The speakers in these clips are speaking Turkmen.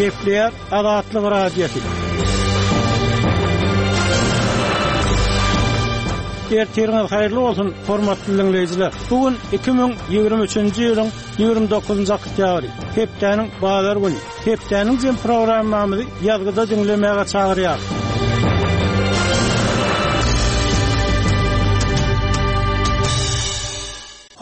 Gepleýär Azatlyk Radiosy. Ertiriňiz haýyrly bolsun, hormatly diňleýjiler! Bu gün 2023-nji ýylyň 29-njy oktýabry, hepdäniň bazar güni. Hepdäniň jem programmamyzy ýazgyda diňlemäge çagyrýarys.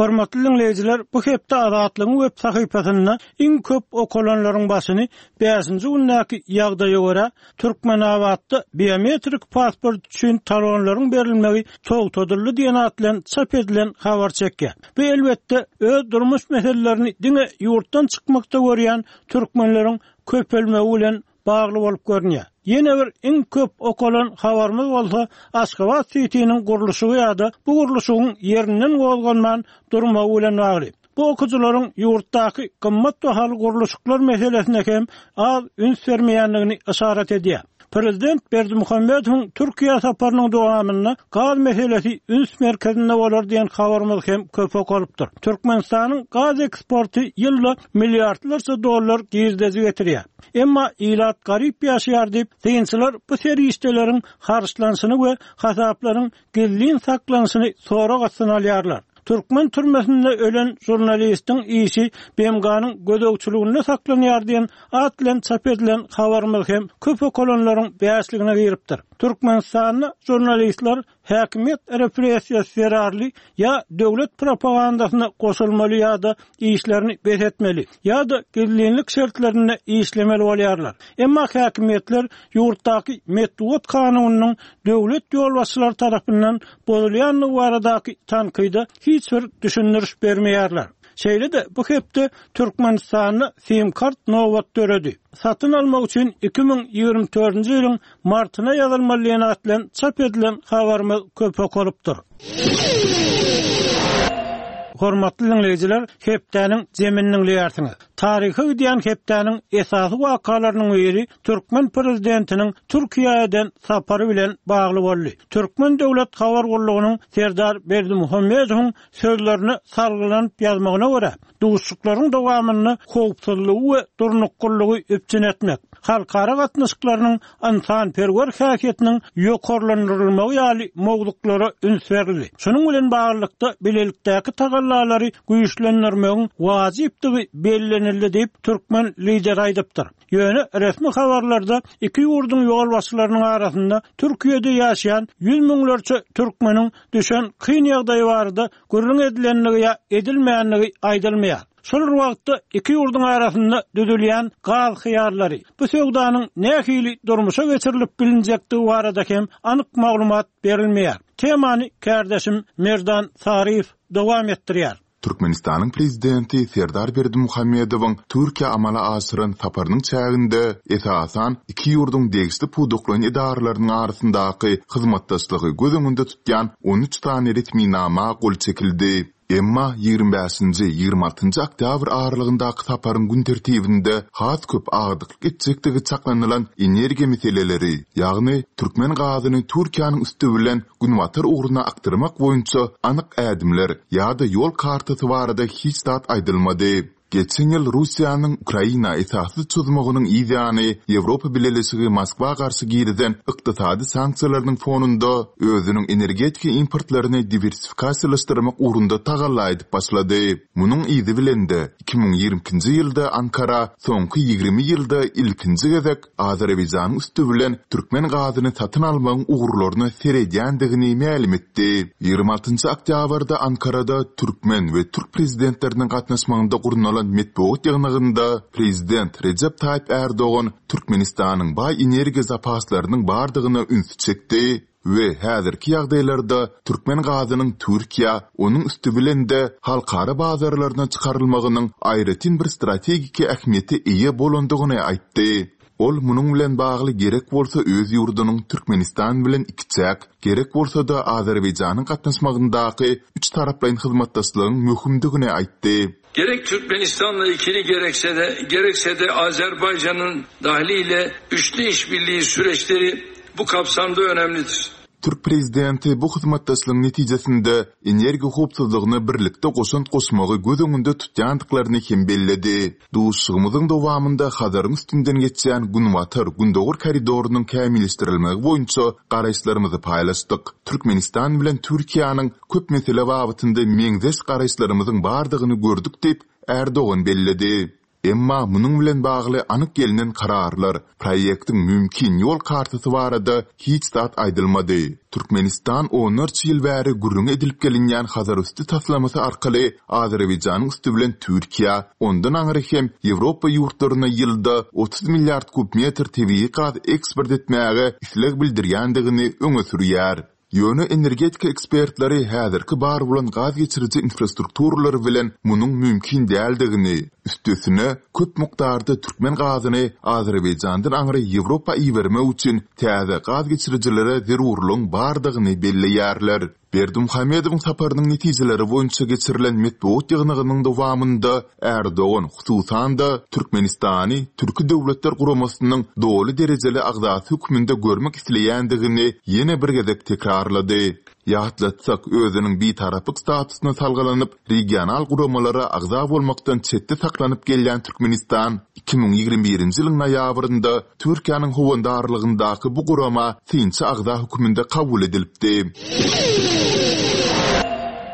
Hormatly diňleýjiler, bu hepde Azatlygyň web sahypasynda iň köp okalanlaryň başyny bäşinji gündäki ýagdaýa görä, Türkmenabatda biometrik pasport üçin talonlaryň berilmegi togtadyldy diýen at bilen çap edilen habar çekýär. Bu, elbetde, öz durmuş meselelerini diňe ýurtdan çykmakda görýän türkmenleriň köpelmegi bilen bagly bolup görünýär. Ýene bir iň köp okalan habarymyz bolsa Aşgabat sitiniň gurluşygy ýa-da bu gurluşygyň ýerinden gozganman durmagy bilen bagly. Bu okyjylaryň ýurtdaky gymmat bahaly gurluşyklar meselesine hem az üns bermeýändigini yşarat edýär. Prezident Berdimuhamedowyň Türkiýä saparynyň dowamynda gaz meselesi üns merkezinde bolar diýen habarymyz hem köp okalypdyr. Türkmenistanyň gaz eksporty ýylda milliardlarça dollar girdeji getirýär. Emma ilat garyp ýaşaýar diýip, synçylar bu serişdeleriň harçlanyşyny we hasaplaryň gizlin saklanyşyny sorag astyna alýarlar. Türkmen türmesinde ölen žurnalistiň işi BMG-niň gözegçiliginde saklanýar diýen at bilen çap edilen habarymyz hem köp okalanlaryň bäşligine giripdir. Türkmenistanda žurnalistler häkimiýet repressiýasy zerarly ýa döwlet propagandasyna goşulmaly ýa-da işlerini bes etmeli, ýa-da gizlinlik şertlerinde işlemeli bolýarlar. Emma häkimiýetler ýurtdaky metbugat kanunynyň döwlet ýolbaşçylary tarapyndan bozulýandygy baradaky tankyda hiç bir düşündiriş bermeýärler. Şeýle-de bu hepde Türkmenistanda sim-kart nobat döredi. Satyn almak üçin 2024-nji ýylyň martyna ýazylmaly diýen at bilen çap edilen habarymyz köp okalypdyr. Hormatly diňleýjiler, hepdäniň jemini diňleýärsiňiz. Taryha gidýän hepdäniň esasy wakalarynyň biri türkmen prezidentiniň Türkiýä eden sapary bilen bagly boldy. Türkmen döwlet habar gullugynyň Serdar Berdimuhamedowyň sözlerine salgylanyp ýazmagyna görä, Duşuşyklaryň dowamynda howpsuzlygy we durnuklylygy üpjün etmek, halkara gatnaşyklarynyň ynsanperwer häsiýetiniň ýokarlandyrylmagy ýaly mowzuklara üns berildi. Şunuň bilen baglylykda, bilelikdäki tagallalary güýçlendirmegiň wajypdygy bellenildi diýip, türkmen Lideri aýdypdyr. Ýöne resmi habarlarda iki ýurduň ýolbaşçylarynyň arasynda Türkiýede ýaşaýan ýüz müňlerçe türkmeniň düşen kyn ýagdaýy barada gürrüň edilendigi ýa edilmändigi aýdylmaýar. Şol bir wagtda iki ýurduň arasynda düzülýän gaz hyýarlary, bu söwdanyň nähili durmuşa geçirilip bilinjekdigi barada hem anyk maglumat berilmeýär. Temany kärdeşim Merdan Saryýew dowam etdirýär. Türkmenistanyň Prezidenti Serdar Berdimuhamedowyň Türkiýä amala aşyran saparynyň çäginde, esasan, iki ýurduň degişli pudaklaýyn edaralarynyň arasyndaky hyzmatdaşlygy göz öňünde tutýan 13 sany resminama gol çekildi. Emma 25-nji, 26-njy oktýabr aralygyndaky saparyň gün tertibinde has köp agdyklyk etjekdigi çaklanylan energiýa meseleleri, ýagny türkmen gazyny Türkiýäniň üsti bilen günbatar ugruna akdyrmak boýunça anyk ädimler ýa-da ýol kartasy barada hiç zat aýdylmady. Geçen ýyl Russiýanyň Ukraina esassyz çozmagynyň yz ýany Ýewropa Bileleşigi Moskwa garşy girizen ykdysady sanksiýalarynyň fonunda özüniň energetika importlaryny diwersifikasiýalaşdyrmak ugrunda tagalla edip başlady. Munuň yzy bilen-de, 2022-nji ýylda Ankara soňky 20 ýylda ilkinji gezek Azerbaýjanyň üsti bilen türkmen gazyny satyn almagyň ugurlaryna seredýändigini mälim etdi. 26 oktýabrda Ankarada türkmen we türk prezidentleriniň gatnaşmagynda gurnalan metbugat ýygnagynda prezident Rejep Taýyp Ärdogan Türkmenistanyň baý energiýa zapaslarynyň bardygyna ünsi çekdi. we häzirki ýagdaýlarda türkmen gazynyň Türkiýä, onuň üsti bilen-de halkara bazarlaryna çykarylmagynyň aýratyn bir strategiki ähmiýete eýe bolandygyny aýtdy. Ol munuň bilen bagly gerek bolsa öz ýurdunyň Türkmenistan bilen ikiçäk, gerek bolsa-da Azerbaýjanyň gatnaşmagyndaky üçtaraplaýyn hyzmatdaşlygyň möhümdigini aýtdy. Gerek Türkmenistanla ikili gerekse de, gerekse de Azerbaycan'ın dahliyle üçlü işbirliği süreçleri bu kapsamda önemlidir. Türk prezidenti bu hyzmatdaşlygyň netijesinde energiýa howpsuzlygyna birlikde goşant goşmagy göz öňünde tutýandyklaryny hem belledi. Duşuşygymyzyň dowamynda Hazaryň üstünden geçýän Günbatar, Gündogar koridorynyň kämilleşdirilmegi boýunça garaýyşlarymyzy paýlaşdyk. Türkmenistan bilen Türkiýäniň köp mesele babatynda meňzeş garaýyşlarymyzyň bardygyny gördük diýip, Ärdogan belledi. Emma munuň bilen bagly anyk gelnen kararlar, proýektiň mümkin ýol kartasy barada hiç zat aýdylmady. Türkmenistan onlarça ýyl bäri gürrüňi edilip gelinýän Hazarüsti taslamasy arkaly Azerbaýjanyň üsti bilen Türkiýä, ondan aňry hem Ýewropa ýurtlaryna ýylda 30 milliard kub metr tebigy gaz eksport etmäge isleg bildirýändigini öňe sürýär. Ýöne energetika ekspertleri häzirki bar bolan gaz geçiriji infrastrukturalary bilen munuň mümkin däldigini, üstesine, köp mukdarda türkmen gazyny Azerbaýjandan aňry Ýewropa ibermek üçin täze gaz geçirijilere zerurlygyň bardygyny belleýärler. Berdimuhamedowyň saparynyň netijeleri boýunça geçirilen metbugat ýygnagynyň dowamynda Ärdogan, hususan-da, Türkmenistany Türki Döwletler Guramasynyň doly derejeli agzasy hökmünde görmek isleýändigini ýene bir gezek tekrarlady. Ýatlatsak, özüniň bitaraplyk statusyna salgylanyp, regional guramalara agza bolmakdan çetde saklanyp gelýän Türkmenistan 2021-nji ýylyň noýabrynda Türkiýäniň howandarlygyndaky bu gurama synçy agza hökmünde kabul edilipdi.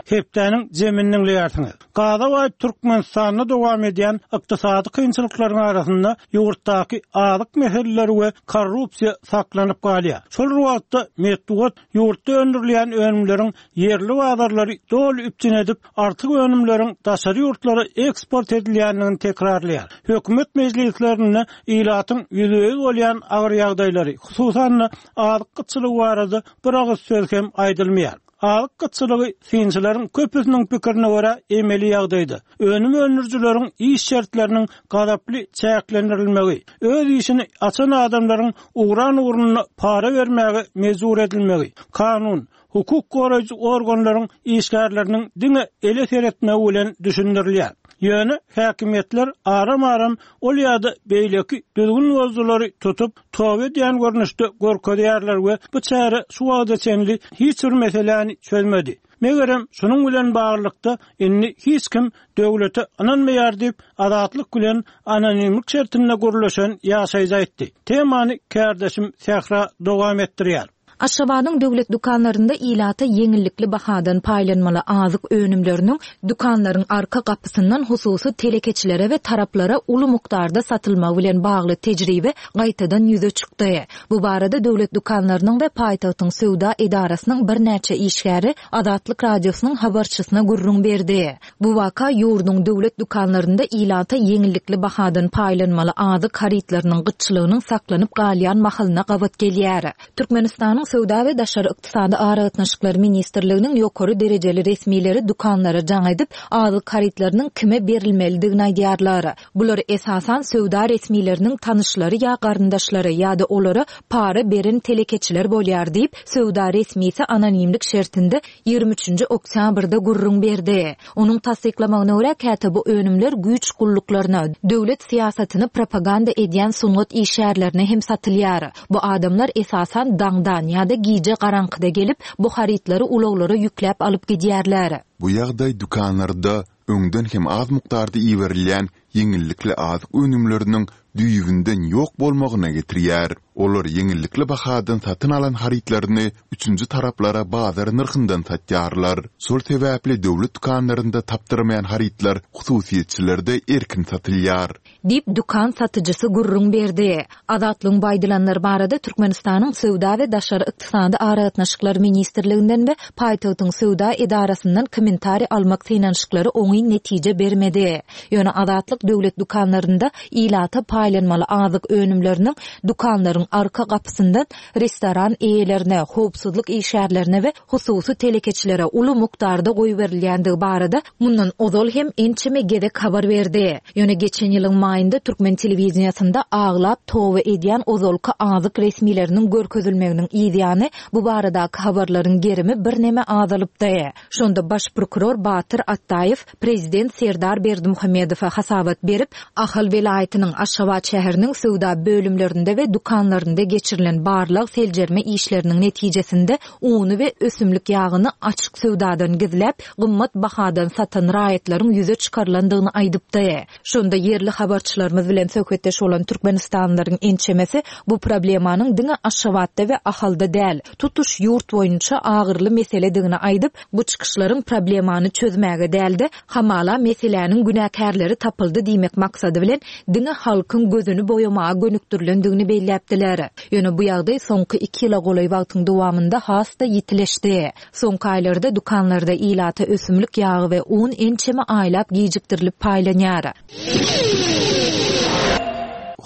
Hepdäniň jemini diňleýärsiňiz. Gaza baý Türkmenistanda dowam edýän ykdysady kynçylyklaryň arasynda ýurtdaky azyk meseleleri we korrupsiýa saklanyp galýar. Şol bir wagtda, metbugat ýurtda öndürilýän önümleriň ýerli bazarlary doly üpjün edip, artyk önümleriň daşary ýurtlara eksport edilýändigini tekrarlaýar. Hökümet mejlislerinde ilatyň ýüzbe-ýüz bolýan agyr ýagdaýlary, hususan-da, azyk gytçylygy barada bir agyz söz hem aýdylmaýar. Azyk gytçylygy synçylaryň köpüsiniň pikirine görä emeli ýagdaýda, önüm öndürijileriň iş şertleriniň gazaply çäklendirilmegi, öz işini açan adamlaryň ugran ugruna para bermäge mejbur edilmegi, kanun, hukuk goraýjy organlaryň işgärleriniň diňe ele seretmegi bilen düşündirilýär. Ýöne häkimiýetler aram-aram ol ýa-da beýleki düzgün bozujylary tutup, toba edýän görnüşde görkezýärler we bu çäre şu wagta çenli hiç bir meseläni çözmedi. Megerem, şunuň bilen baglylykda, indi hiç kim döwlete ynanmaýar diýip, Azatlyk bilen anonimlik şertinde gürleşen ýaşaýjy aýtdy. Temany kärdeşim Sähra dowam etdirýär. Aşgabadyň döwlet dükanlarynda ilata ýeňillikli bahadan paýlanmaly azyk önümleriniň dükanlaryň arka gapysyndan hususy telekeçilere we taraplara uly mukdarda satylmagy bilen bagly tejribe gaýtadan ýüze çykdy. Bu barada döwlet dükanlarynyň we paýtagtyň söwda edarasynyň birnäçe işgäri Azatlyk Radiosynyň habarçysyna gürrüň berdi. Bu waka ýurduň döwlet dükanlarynda ilata ýeňillikli bahadan paýlanmaly azyk harytlarynyň gytçylygynyň saklanyp galýan mahalyna gabat gelýär. Türkmenistanyň Söwda we daşary ykdysady aragatnaşyklar ministrliginiň ýokary derejeli resmileri dükanlara jaň edip, azyk harytlarynyň kime berilmelidigini aýdýarlar. Bular esasan söwda resmileriniň tanyşlary ýa garyndaşlary ýa-da olara para beren telekeçiler bolýar diýip, söwda resmisi anonimlik şertinde 23-nji oktýabrda gürrüň berdi. Onuň tassyklamagyna görä, käte bu önümler güýç gulluklaryna, döwlet syýasatyny propaganda edýän sungat işgärlerine hem satylýar. Bu adamlar esasan daňdan ýa-da gije garaňkyda gelip, bu harytlary ulaglara ýükläp alyp gidýärler. Bu ýagdaý dükanlarda öňden hem az mukdarda iberilýän ýeňillikli azyk önümleriniň düýbünden ýok bolmagyna getirýär. Olar ýeňillikli bahadan satyn alan harytlaryny üçünji taraplara bazar nyrhyndan satýarlar. Şol sebäpli döwlet dükanlarynda tapdyrmaýan harytlar hususyýetçilerde erkin satylýar. Diýip, dükan satyjysy gürrüň berdi. Azatlygyň bu aýdylanlar barada Türkmenistanyň Söwda we daşary ykdysady aragatnaşyklar ministrliginden we paýtagtyň söwda edarasyndan kommentariý almak synanyşyklary oňyn netije bermedi. Ýöne Azatlyk döwlet dükanlarynda ilata paýlanmaly azyk önümleriniň dükanlaryň arka gapysyndan restoran eýelerine, howpsuzlyk işgärlerine we hususy telekeçilere uly mukdarda goýberilýändigi barada mundan ozal hem ençeme gezek habar berdi. Ýöne geçen ýylyň maýynda türkmen telewideniýesinde aglap toba edýän ozalky azyk resmileriniň görkezilmeginiň yzýany bu baradaky habarlaryň gerimi birneme azalypdy. Şonda baş prokuror Batyr Atdaýew prezident Serdar Berdimuhamedowa hasabat. maslahat berip, Ahal welaýatynyň Aşgabat şäheriniň söwda bölümlerinde we dükanlarynda geçirilen barlag-seljerme işleriniň netijesinde uny we ösümlik ýagyny açyk söwdadan gizläp, gymmat bahadan satan raýatlaryň ýüze çykarylandygyny aýdypdy. Şonda ýerli habarçylarymyz bilen söhbetdeş bolan türkmenistanlylaryň ençemesi bu problemanyň diňe Aşgabatda we Ahalda däl, tutuş ýurt boýunça agyryly meseledigini aýdyp, bu çykyşlaryň problemany çözmäge däl-de, hamala meseläniň günäkärleri tapyldy diýmek maksady bilen diňe halkyň gözüni boýamaga gönükdirilendigini belläpdiler. Ýöne bu ýagdaý soňky iki ýyla golaý wagtyň dowamynda has-da ýitileşdi. Soňky aýlarda dükanlarda ilata ösümlik ýagy we un ençeme aýlap gijikdirilip paýlanýar.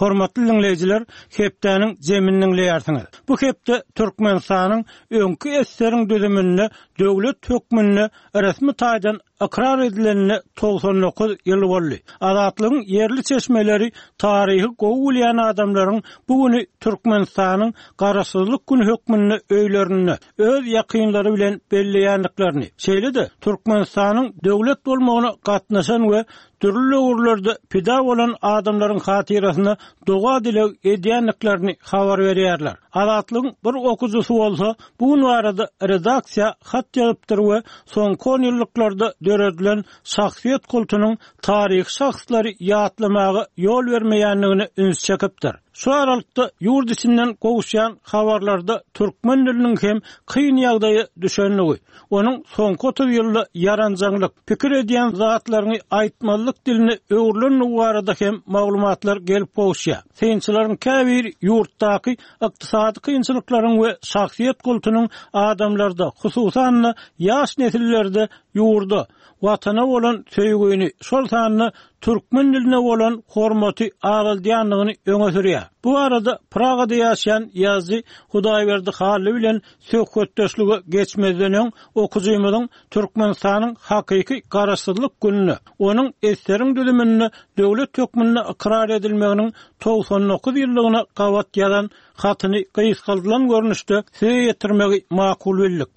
Hormatly diňleýjiler, hepdäniň jemini diňleýärsiňiz. Bu hepde Türkmenistanyň öňki SSR-iň düzüminde döwlet hökmünde resmi taýdan ykrar edilenine 99 ýyl boldy. Azatlygyň ýerli çeşmeleri taryhy gowy bilýän adamlaryň bu güni Türkmenistanyň Garaşsyzlyk güni hökmünde öýlerinde öz ýakynlary bilen belleýändiklerini, şeýle-de Türkmenistanyň döwlet bolmagyna gatnaşan we dürli döwürlerde pida bolan adamlaryň hatyrasyna doga-dileg edýändiklerini habar berýärler. Azatlygyň bir okyjysy bolsa bu gün barada redaksiýa hat ýazypdyr we soňky onýyllyklarda döredilen şahsyýet kultunyň taryhy şahslary ýatlamaga ýol bermeýändigine üns çekipdir. Şu aralykda ýurt içinden gowuşýan habarlarda türkmen diliniň hem kyn ýagdaýa düşendigi, onuň soňky 30 ýylda ýaranjaňlyk, pikir edýän zatlaryňy aýtmazlyk diline öwrülendigi barada hem maglumatlar gelip gowuşýar. Synçylaryň käbiri ýurtdaky ykdysady kynçylyklaryň we şahsyýet kultunyň adamlarda, hususan-da, ýaş nesillerde ýurda, Watana bolan söýgüni, şol sanda türkmen diline bolan hormaty azaldýandygyny öňe sürýär. Bu barada Pragada ýaşaýan ýazyjy Hudaýberdi Hally bilen söhbetdeşlige geçmezden öň okyjymyzyň Türkmenistanyň hakyky Garaşsyzlyk gününe, onuň SSR-iň düzüminde döwlet hökmünde ykrar edilmeginiň 99 ýyllygyna gabat ýazan hatyny gysgaldylan görnüşde size ýetirmegi makul bildik.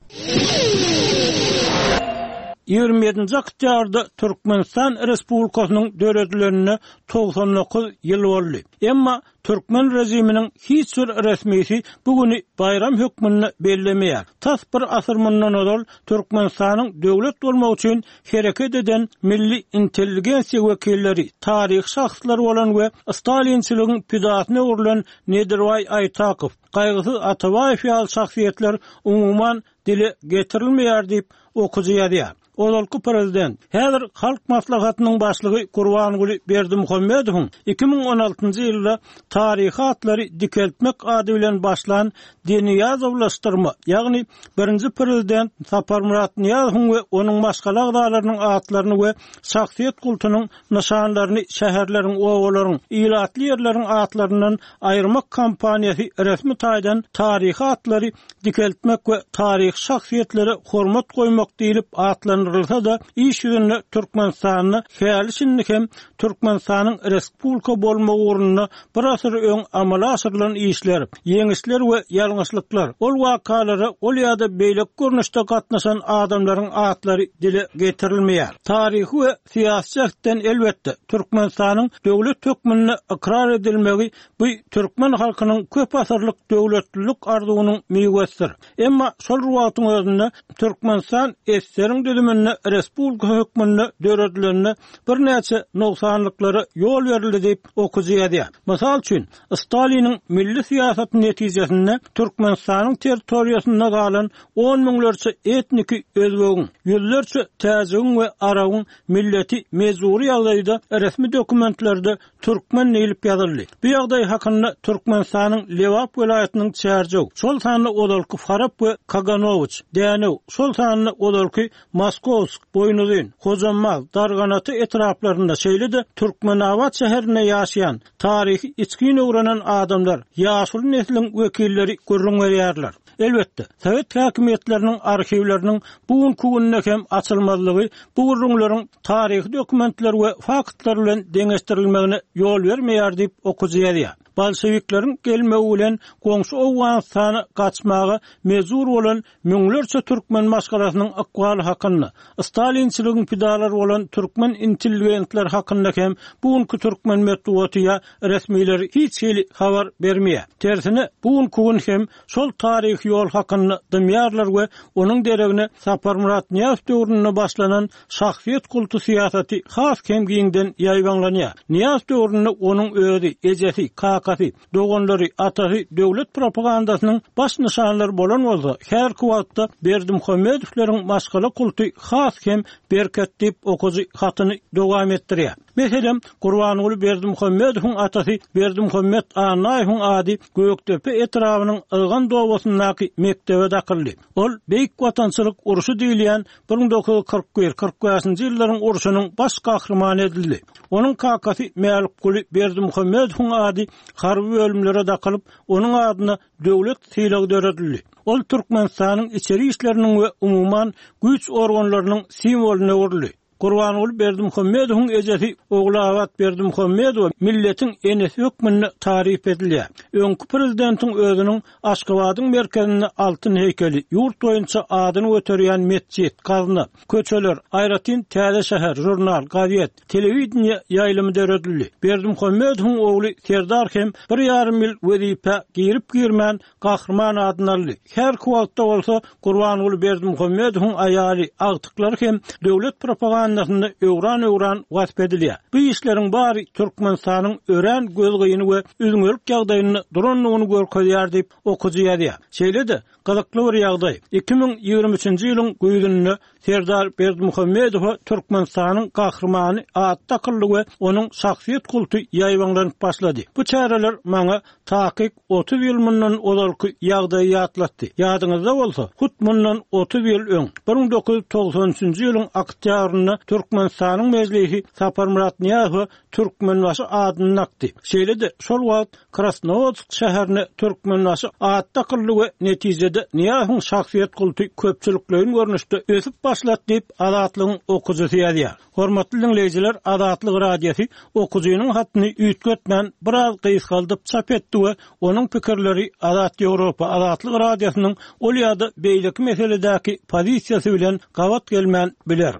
27-nji oktýabrda Türkmenistan Respublikasynyň döredilenine 99 ýyl boldy. Emma türkmen režiminiň hiç bir resmisi bu güni baýram hökmünde bellemeýär. Tas bir asyr mundan ozal Türkmenistanyň döwlet bolmagy üçin hereket eden milli intelligensiýa wekilleri, taryhy şahslar bolan we stalinçiligiň pidasyna öwrülen Nedirbaý Aýtakow, Gaýgysyz Atabaýew ýaly şahsyýetler umuman dile getirilmeýär diýip, okyjy ýazýar. Ozalky prezident, häzir Halk Maslahatynyň başlygy Gurbanguly Berdimuhamedowyň 2016-njy ýylda taryhy atlary dikeltmek ady bilen başlan deniýazowlaşdyrma, ýagny birinji prezident Saparmyrat Nyýazowyň we onuň maşgala agzalarynyň atlaryny we şahsyýet kultunyň nyşanlaryny şäherleriň, obalaryň, ilatly ýerleriň atlaryndan aýyrmak kampaniýasy resmi taýdan taryhy atlary dikeltmek we taryhy şahsyýetlere hormat goýmak diýlip atlandyrylsa-da, iş ýüzünde Türkmenistanda häli-şindi hem Türkmenistanyň respublika bolmagy ugrunda bir asyr öň amala aşyrylan işler, ýeňişler we ýalňyşlyklar, ol wakalara ol ýa-da beýleki görnüşde gatnaşan adamlaryň atlary dile getirilmeýär. Taryhy we syýasy jähtden, elbetde, Türkmenistanyň döwlet hökmünde ykrar edilmegi bu türkmen halkynyň köp asyrlyk döwletlilik arzuwynyň miwesidir. Emma şol bir wagtyň özünde Türkmenistan SSR-iň düzüminde respublika hökmünde döredileninde birnäçe nogsanlyklara ýol berildi diýip, okyjy ýazýar. Mysal üçin, Staliniň milli syýasaty netijesinde Türkmenistanyň territoriýasynda galan on müňlerçe etniki özbegiň, ýüzlerçe täjigiň we arabyň milleti mejbury ýagdaýda resmi dokumentlerde Türkmen diýlip ýazyldy. Bu ýagdaý hakynda Türkmenistanyň Lebap welaýatynyň Çärjew, şol sanda ozalky Farap we Kaganowiç, Dänew, şol sanda ozalky Moskowsk, Boýnuzyn, Hojambaz, Darganata etraplarynda, şeýle-de Türkmenabat şäherinde ýaşaýan, taryhy içgin öwrenen adamlar, ýaşuly nesliň wekilleri gürrüň berýärler. Elbetde, sowet häkimiýetleriniň arhiwleriniň bu günki günde hem açylmazlygy bu gürrüňleriň taryhy dokumentler we faktlar bilen deňeşdirilmegine ýol bermeýär diýip, okyjy ýazýar. Bolşewikleriň gelmegi bilen goňşy Owganystana gaçmaga mejbur bolan müňlerçe türkmen maşgalasynyň ykbaly hakynda, stalinçiligiň pidalary bolan türkmen intelligentleri hakynda hem bu günki türkmen metbugaty ýa resmileri hiç hili habar bermeýär. Tersine, bu günki gün hem şol taryhy ýol hakynda dymýarlar we onuň deregine Saparmyrat Nyýazow döwründe başlanan şahsyýet kulty syýasaty has hem giňden ýaýbaňlanýar. Nyýazow döwründe onuň özi, ejesi, kakasy, doganlary, atasy döwlet propagandasynyň baş nyşanlary bolan bolsa, häzirki wagtda Berdimuhamedowlaryň maşgala kulty has hem berkedi diýip, okyjy hatyny dowam etdirýär. Meselem, Gurbanguly Berdimuhamedowyň atasy Berdimuhamet Annaýewiň ady Gökdepe etrabynyň Ylgan obasyndaky mekdebe dakyldy. Ol Beýik Watançylyk urşy diýilýän 1941, 45-nji ýyllaryň urşunyň baş gahrymany edildi. Onuň kakasy Mälikguly Berdimuhamedowyň ady harby bölümlere dakylyp, onuň adyna döwlet sylagy döredildi. Ol Türkmenistanyň içeri işleriniň we umuman, güýç organlarynyň simwolyna öwrüldi. Gurbanguly Berdimuhamedowyň ejesi Ogulabat Berdimuhamedowa milletiň enesi hökmünde taryp edilýär. Öňki prezidentiň özüniň Aşgabadyň merkezinde altyn heýkeli, ýurt boýunça adyny göterýän metjit, gazna, köçeler, aýratyn täze şäher, žurnal, gazet, telewideniýe ýaýlymy döredildi. Berdimuhamedowyň ogly Serdar hem bir ýarym ýyl wezipä girip-girmän Gahryman adyny aldy. Häzirki wagtda bolsa Gurbanguly Berdimuhamedowyň aýaly, agtyklary hem döwlet propagandasynda öwran-öwran wasp edilýär. Bu işleriň bary Türkmenistanyň örän gözgyny we üzňelik ýagdaýynda durandygyny görkezýär diýip, okyjy ýazýar. Şeýle-de, gyzykly bir ýagdaý, 2023-nji ýylyň güýzünde Serdar Berdimuhamedowa Türkmenistanyň Gahrymany ady dakyldy we onuň şahsyýet kulty ýaýbaňlanyp başlady. Bu çäreler maňa takyk 30 ýyl mundan ozalky ýagdaýy ýatlatdy. Ýadyňyzda bolsa, hut mundan 30 ýyl öň, 1993-nji ýylyň oktýabrynda Türkmenistanyň Mejlisi Saparmyrat Nyýazowa Türkmenbaşy adyny dakdy. Şeýle-de, şol wagt Krasnowodsk şäherine Türkmenbaşy ady dakyldy we netijede Nyýazowyň şahsyýet kulty köpçülikleýin görnüşde ösüp başlady diýip, Azatlygyň okyjysy ýazýar. Hormatly diňleýjiler, Azatlyk Radiosy okyjynyň hatyny üýtgetmän, biraz gysgaldyp çap etdi we onuň pikirleri Azat Ýewropa, Azatlyk Radiosynyň ol ýa-da beýleki meseledäki pozisiýasy bilen gabat gelmän biler.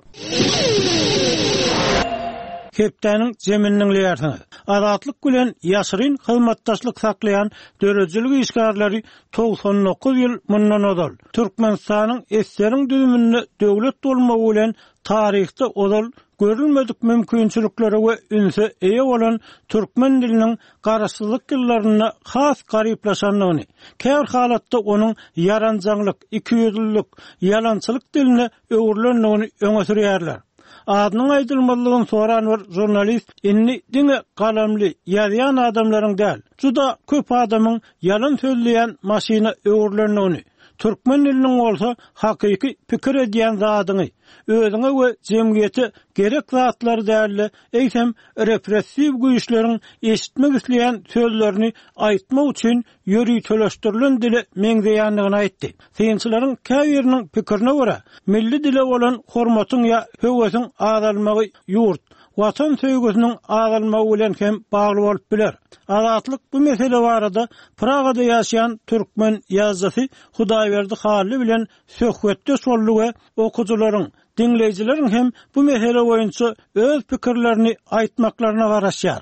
Hepdäniň jemini diňleýärsiňiz. Azatlyk bilen ýaşyryn hyzmatdaşlyk saklaýan döredijilik işgärleri 99 ýyl mundan ozal, Türkmenistanyň SSR-iň düzüminde döwlet bolmagy bilen taryhda ozal görülmedik mümkinçiliklere we ünse eýe bolan türkmen diliniň garaşsyzlyk ýyllarynda has garyplaşandygyny, käbir halatda onuň ýaranjaňlyk, ikiýüzlülik, ýalançylyk diline öwrülendigini öňe sürýärler. Adynyň aýdylmazlygyny soran bir žurnalist indi diňe galamly, ýazýan adamlaryň däl, juda köp adamyň ýalan sözleýän maşyna öwrülendigini, türkmen diliniň bolsa hakyky pikir edýän zadyňy, özüňe we jemgyýete gerek zatlary däl-de, eýsem repressiw güýçleriň eşitmek isleýän sözlerini aýtmak üçin ýöriteleşdirilen dile meňzeýändigini aýtdy. Synçylaryň käbiriniň pikirine görä, milli dile bolan hormatyň ýa höwesiň azalmagy ýurt, Watan söýgüsiniň azalmagy bilen hem bagly bolup biler. Azatlyk bu mesele barada Pragada ýaşaýan türkmen ýazyjysy Hudaýberdi Hally bilen söhbetdeş boldy we okyjylaryň, Diňleýjileriň hem bu mesele boýunça öz pikirlerini aýtmaklaryna garaşýar.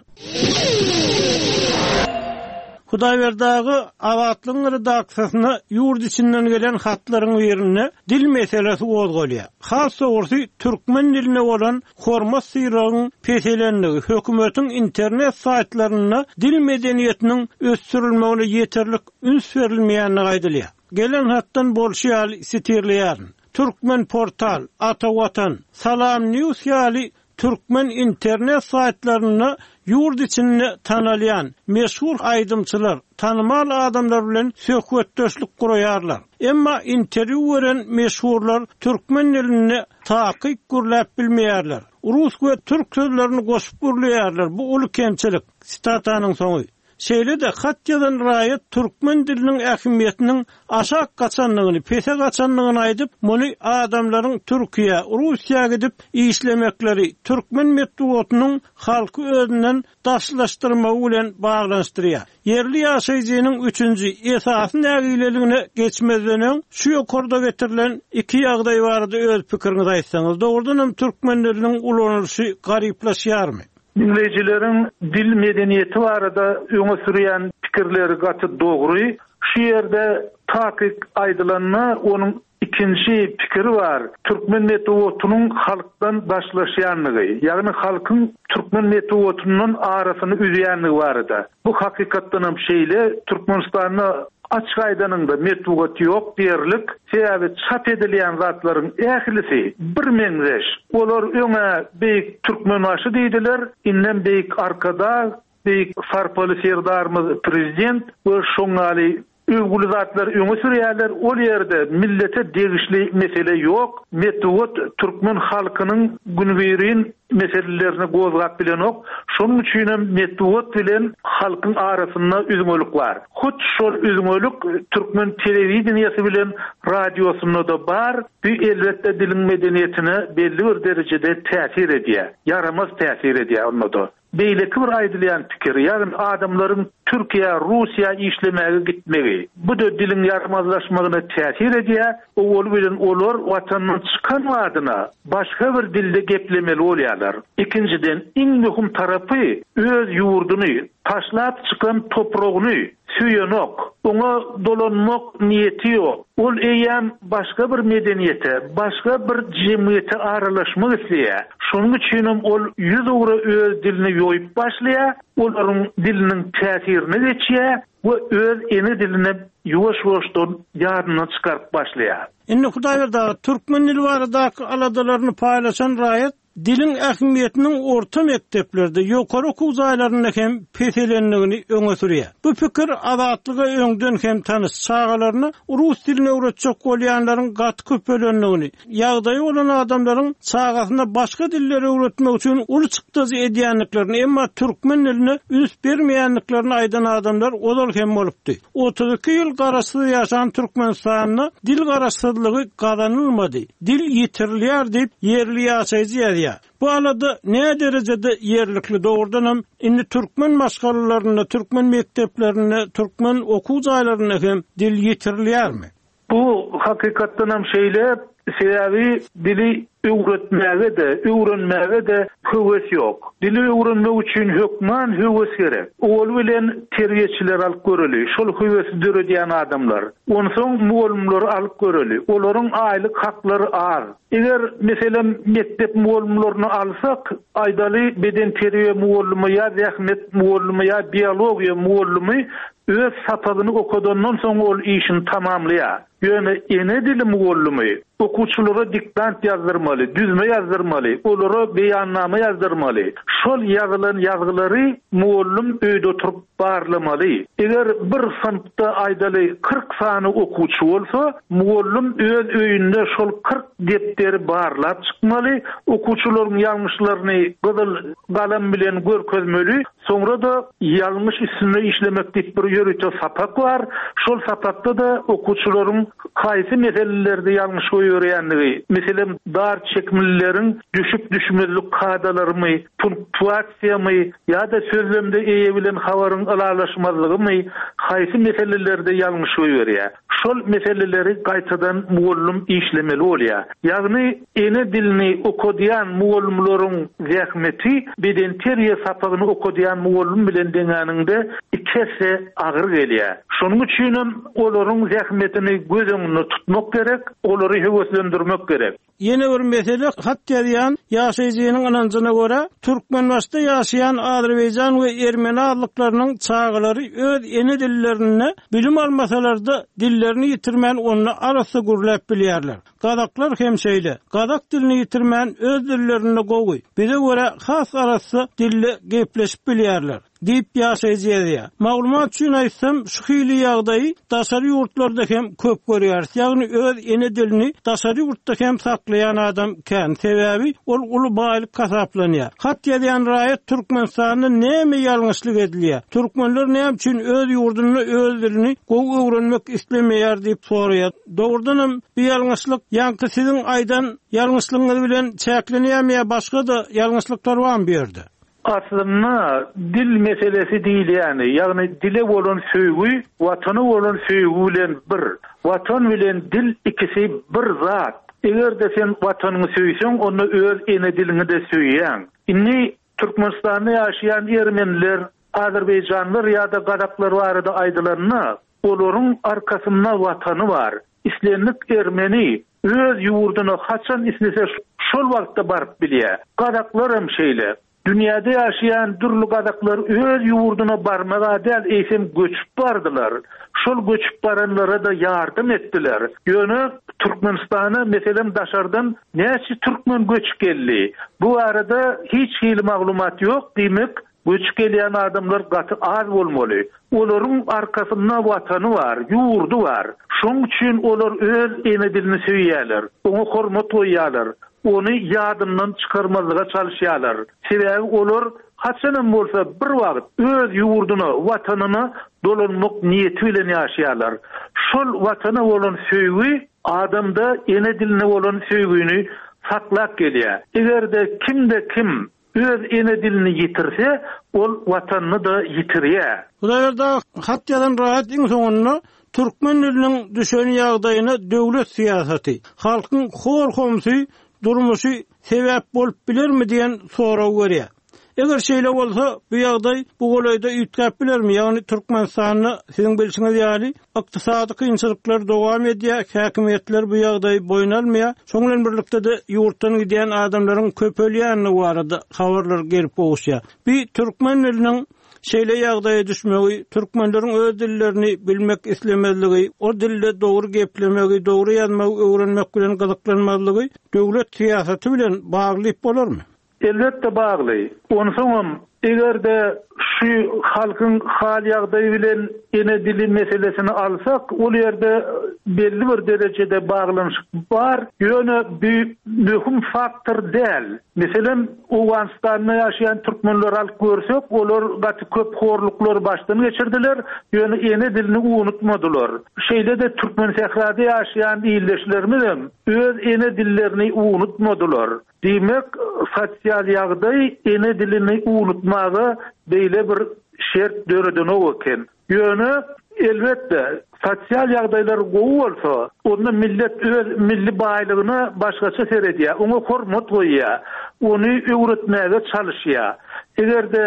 Hudaýberdi aga Azatlygyň redaksiýasyna ýurt içinden gelen hatlaryň birinde dil meselesi gozgalýar. Has dogrusy, türkmen diline bolan hormat-sylagyň peselendigi, hökümetiň internet saýtlarynda dil medeniýetiniň ösdürilmegine ýeterlik üns berilmeýändigi aýdylýar. Gelen hatdan bolşy ýaly sitirleýärin. Türkmenportal, Ata Watan, Salam News ýaly türkmen internet saýtlarynda ýurt içinde tanalýan, meşhur aýdymçylar, tanymal adamlar bilen söhbetdeşlik guraýarlar. Emma interwýu beren meşhurlar türkmen dilinde takyk gürläp bilmeýärler. Rus we türk sözlerini goşup gürleýärler, bu uly kemçilik. Sitatanyň soňy. Şeýle-de hat ýazan raýat türkmen diliniň ähmiýetiniň aşak gaçandygyny, pese gaçandygyny aýdyp, muny adamlaryň Türkiýä, Russiýa gidip işlemekleri, türkmen metbugatynyň halky özünden daşlaşdyrmagy bilen baglanyşdyrýar. Ýerli ýaşaýjynyň üçünji, esasy nägileligine geçmezden öň, şu ýokarda getirilen iki ýagdaý barada öz pikiriňizi aýtsaňyz, dogrudanam türkmen diliniň ulanylyşy garyplaşýarmy? Diňleýjileriň dil medeniýeti barada öňe sürýän pikirleri gaty dogry. Şu ýerde takyk aýdylanda, onuň ikinji pikiri bar, türkmen metbugatynyň halkdan daşlaşýandygy, ýagny halkyň türkmen metbugatyndan arasyny üzýändigi barada. Bu hakykatdanam şeýle, Türkmenistanda açyk aýdanyňda metbugat ýok diýerlik, sebäbi çap edilýän zatlaryň ählisi birmeňzeş. Olar öň-ä Beýik Türkmenbaşy diýdiler, indem Beýik Arkadag, Beýik sarpaly Serdarymyz Prezident we şoň ýaly öwgüli zatlary öňe sürýärler, ol ýerde millete degişli mesele ýok, metbugat türkmen halkynyň günübirin meselelerini gozgap bilenok, şonuň üçinem metbugat bilen halkyň arasynda üzňelik bar. Hut şol üzňelik türkmen telewideniýesi bilen radiosynda-da bar, bu elbetde diliň medeniýetine belli bir derejede täsir edýär, ýaramaz täsir edýär onda-da. Beýleki bir aýdylýan pikir, ýagny adamlaryň Türkiýä, Russiýa işlemäge gitmegi. Bu-da diliň ýaramazlaşmagyna täsir edýär, owaly bilen olar watandan çykan badyna başga bir dilde geplemeli bolýarlar. Ikinjiden, iň möhüm tarapy, öz ýurduny, taşlap çykan topragyny söýenok, oňa dolanmak niýeti ýok. Ol eýýäm başga bir medeniýete, başga bir jemgyýete aralaşmak isleýär. Şonuň üçinem ol ýüzugra öz dilini ýoýup başlaýar, olaryň diliniň täsirine geçýär we öz ene dilini ýuwaş-ýuwaşdan ýadyndan çykaryp başlaýar. Indi Hudaýberdi aga, türkmen dili baradaky aladalaryny paýlaşan raýat diliň ähmiýetiniň orta mekdeplerde, ýokary okuw jaýlarynda hem peselendigini öňe sürýär. Bu pikir Azatlyga öňden hem tanyş, çagalaryna rus dilini öwretjek bolýanlaryň gaty köpelendigini, Ýagdaýy bolan adamlaryň çagasyna başga dilleri öwretmek üçin uly çykdajy edýändiklerini, emma türkmen diline üns bermeýändiklerini aýdan adamlar ozal hem bolupdy. 32 ýyl garaşsyz ýaşan Türkmenistanda dil garaşsyzlygy gazanylmady, dil ýitirilýär diýip, ýerli ýaşaýjy ýazýar. Bu alada näderejede ýerlikli, dogrudanam, indi türkmen maşgalalarynda, türkmen mekdeplerinde, türkmen okuw jaýlarynda hem dil ýitirilýärmi? Bu hakykatdanam şeýle, sebäbi dili öwretmäge-de, öwrenmäge-de höwes ýok. Dili öwrenmek üçin hökman höwes gerek. Owaly bilen terbiýeçileri alyp göreli, şol höwesi döredýän adamlar. Onsoň mugallymlary alyp göreli, olaryň aýlyk haklary az. Eger, meselem, mekdep mugallymlaryny alsak, aýdaly, bedenterbiýe mugallymy ýa zähmet mugallymy ýa biologiýa mugallymy Öz sapagyny okadandan soň ol işini tamamlaýar. Ýöne ene dili mugallymy okuwçylara diktant ýazdyrmaly, düzme ýazdyrmaly, olara beýannama ýazdyrmaly. Şol ýazylan ýazgylary mugallym öýde oturyp barlamaly. Eger bir synpda aýdaly 40 sany okuwçy bolsa, mugallym öz öýünde şol 40 depderi barlap çykmaly, okuwçylaryň ýalňyşlaryny gyzyl galam bilen görkezmeli. Soňra-da ýalňyş üstünde işlemek diýip bir ýörite sapak bar. Şol sapakda-da okuwçylaryň haýsy meselelerde ýalňyş goýberýändigi, meselem, dar çekimlileriň düşüp-düşmezlik kadalarymy, punktuasiýamy ýa-da sözlemde eýe bilen habaryň ylalaşmazlygymy, haýsy meselelerde ýalňyş goýberýär. Şol meseleleri gaýtadan mugallym işlemeli bolýar. Ýagny ene dilini okadýan mugallymlaryň zähmeti bedenterbiýe sapagyny okadýan mugallym bilen deňäniňde iki esse agyr gelýär. Şonuň üçinem olaryň zähmetini göz öňünde tutmak gerek, olary höweslendirmek gerek. Ýene bir mesele, hat ýazýan ýaşaýjynyň ynanjyna görä, Türkmenbaşyda ýaşaýan azerbaýjan we ermeni azlyklarynyň çagalary öz ene dillerinde bilim almasalar-da, dillerini ýitirmän onda arassa gürläp bilýärler. Gazaklar hem şeýle. Gazak dilini ýitirmän öz dillerinde gowy, bize görä has arassa dilde gepleşip bilýärler. Diýip, ýaşaýjy ýazýar. Maglumat üçin aýtsam, şu hili ýagdaýy daşary ýurtlarda hem köp görýäris, ýagny öz ene dilini daşary ýurtda hem saklaýan adam kän, sebäbi ol uly baýlyk hasaplanýar. Hat ýazýan raýat Türkmenistanda näme ýalňyşlyk edilýär, türkmenler näme üçin öz ýurdunda öz dilini gowy öwrenmek islemeýär diýip soraýar. Dogrudanam bu ýalňyşlyk ýaňky siziň aýdan ýalňyşlygyňyz bilen çäklenýärmi ýa başga-da ýalňyşlyklar barmy bu ýerde? Aslynda dil meselesi diýilýäni, ýagny dile bolan söýgi Watana bolan söýgi bilen bir. Watan bilen dil ikisi bir zat. Eger-de sen Watanyňy söýseň, onda öz ene diliňi-de söýýäň. Indi Türkmenistanda ýaşaýan ermeniler, azerbaýjanlar ýa-da gazaklar barada aýdylanda, olaryň arkasynda Watany bar. Islendik ermeni öz ýurduna haçan islese şol wagtda baryp bilýär. Gazaklar hem şeýle. Dünýäde ýaşaýan dürli gazaklar öz ýurduna barmag-a däl, eýsem göçüp bardylar. Şol göçüp baranlara-da ýardam etdiler. Ýöne Türkmenistana, meselem, daşardan näçe türkmen göçüp geldi? Bu barada hiç hili maglumat ýok, diýmek, Göçüp gelýän adamlar gaty az bolmaly. Olaryň arkasynda Watany bar, ýurdy bar. Şoň üçin olar öz ene dilini söýýärler, oňa hormat goýýarlar, ony ýadyndan çykarmazlyga çalyşýarlar. Sebäbi olar haçanam bolsa bir wagt öz ýurduna, Watanyna dolanmak niýeti bilen ýaşaýarlar. Şol Watana bolan söýgi adamda ene diline bolan söýgini saklap gelýär. Eger-de kimde-kim Öz ene dilini ýitirse, ol Watanyny-da ýitirýär. Hudaýberdi aga, hat ýazan raýat iň soňunda türkmen diliniň düşen ýagdaýyna döwlet syýasaty, halkyň hor-homsy durmuşy sebäp bolup bilermi diýen soragy berýär. Eger şeýle bolsa, bu ýagdaý bu golaýda üýtgäp bilermi, ýagny Türkmenistanda siziň bilşiňiz ýaly, Ykdysady kynçylyklar dowam edýär, häkimiýetler bu ýagdaýy boýun almaýar. Şonuň bilen birlikde-de ýurtdan gidýän adamlaryň köpelýändigi barada habarlar gelip gowuşýar. Bu türkmen diliniň şeýle ýagdaýa düşmegi, türkmenleriň öz dillerini bilmek islemezligi, o dilde dogry geplemegi, dogry ýazmagy öwrenmek bilen gyzyklanmazlygy döwlet syýasaty bilen bagly diýip bolarmy? Elbetde bagly. Onsoňam, eger-de şu halkyň hal-ýagdaýy bilen ene dili meselesini alsak, ol ýerde belli bir derejede baglanyşyk bar, ýöne bu möhüm faktor däl. Meselem, Owganystanda ýaşaýan türkmenleri alyp görsek, olar gaty köp horluklary başdan geçirdiler, ýöne ene dilini unutmadylar. Şeýle-de Türkmensährada ýaşaýan ildeşlerimizem öz ene dillerini unutmadylar. Diýmek, sosial ýagdaý ene dilini unutmaga beýle bir şert döredenok eken. Ýöne, elbetde, sosial ýagdaýlar gowy bolsa, onda millet öz milli baýlygyna başgaça seredýär, oňa hormat goýýar, ony öwretmäge çalyşýar. Eger-de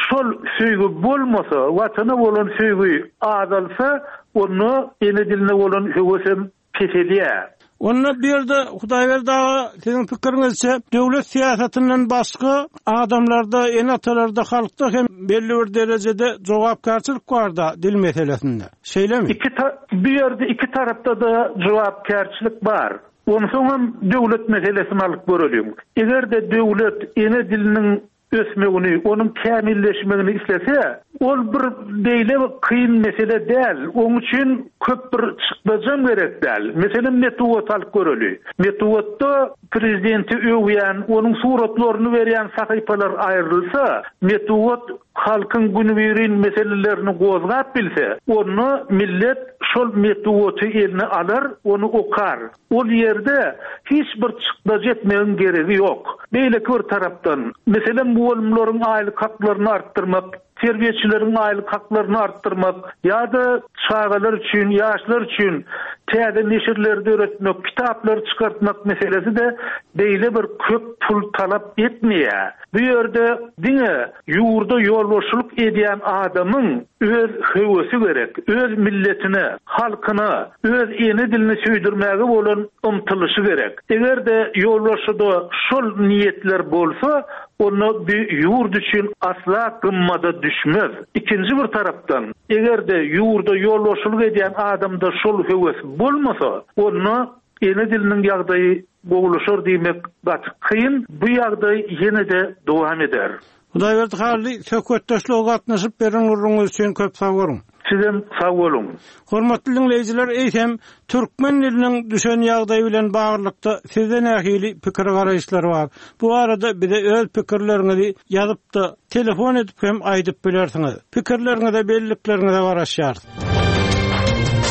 şol söýgi bolmasa, Watana bolan söýgi azalsa, onda ene diline bolan höwesem peselýär. Onda bu ýerde Hudaýberdi aga siziň pikiriňizçe döwlet syýasatyndan başga adamlarda, ene-atalarda, halkda hem belli bir derejede jogapkärçilik barda dil meselesinde. Şeýlemi? Iki bu ýerde iki tarapda-da jogapkärçilik bar. Onsoňam döwlet meselesini alyp göreliň. Eger-de döwlet ene diliniň ösmegini, onuň kämilleşmegini islese, ol bir beýle kyn mesele däl, oň üçin köp bir çykdajam gerek däl. Meselem, metbugaty alyp göreli. Metbugatda prezidenti öwýän, onuň suratlaryny berýän sahypalar aýrylsa, metbugat halkyň günübirin meselelerini gozgap bilse, onda millet şol metbugaty eline alar, ony okar. Ol ýerde hiç bir çykdajy etmegiň geregi ýok. Beýleki bir tarapdan, meselem, mugallymlaryň aýlyk haklaryny artdyrmak, terbiýeçileriň aýlyk haklaryny artdyrmak ýa-da çagalar üçin, ýaşlar üçin täze neşirleri döretmek, kitaplary çykartmak meselesi-de beýle bir köp pul talap etmeýär. Bu ýerde diňe ýurda ýolbaşçylyk edýän adamyň öz höwesi gerek, öz milletine, halkyna, öz ene dilini söýdürmäge bolan ymtylyşy gerek. Eger-de ýolbaşçyda şol niýetler bolsa, onda bu ýurt üçin asla gymmada düşmez. Ikinji bir tarapdan, eger-de ýurda ýolbaşçylyk edýän adamda şol höwes bolmasa, onda ene diliniň ýagdaýy gowulaşar diýmek gaty kyn, bu ýagdaý ýene-de dowam eder. Hudaýberdi Hally, söhbetdeşlige gatnaşyp beren gürrüňiňiz üçin köp sag boluň. Sizem sag boluň. Hormatly diňleýjiler, eýsem, türkmen diliniň düşen ýagdaýy bilen baglylykda sizde nähili pikir-garaýyşlar bar? Bu barada bize öz pikirleriňizi ýazyp-da, telefon edip hem aýdyp bilersiňiz. Pikirleriňize, bellikleriňize garaşýarys.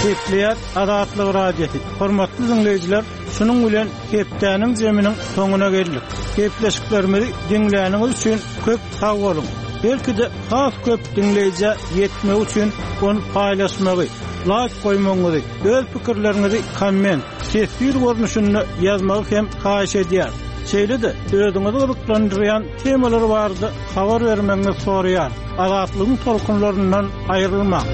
Gepleýär Azatlyk Radiosy. Hormatly diňleýjiler, şunuň bilen hepdäniň zeminiň soňuna geldik. Gepleşiklerimizi diňläniňiz üçin köp sag boluň. Belki-de has köp diňleýjä ýetmegi üçin ony paýlaşmagy, laýk goýmagyňyzy, öz pikirleriňizi komment, teswir görnüşinde ýazmagy hem haýyş edýäris. Şeýle-de özüňizi gyzyklandyrýan temalar barada habar bermegiňizi soraýarys. Azatlygyň tolkunlaryndan aýrylmaň!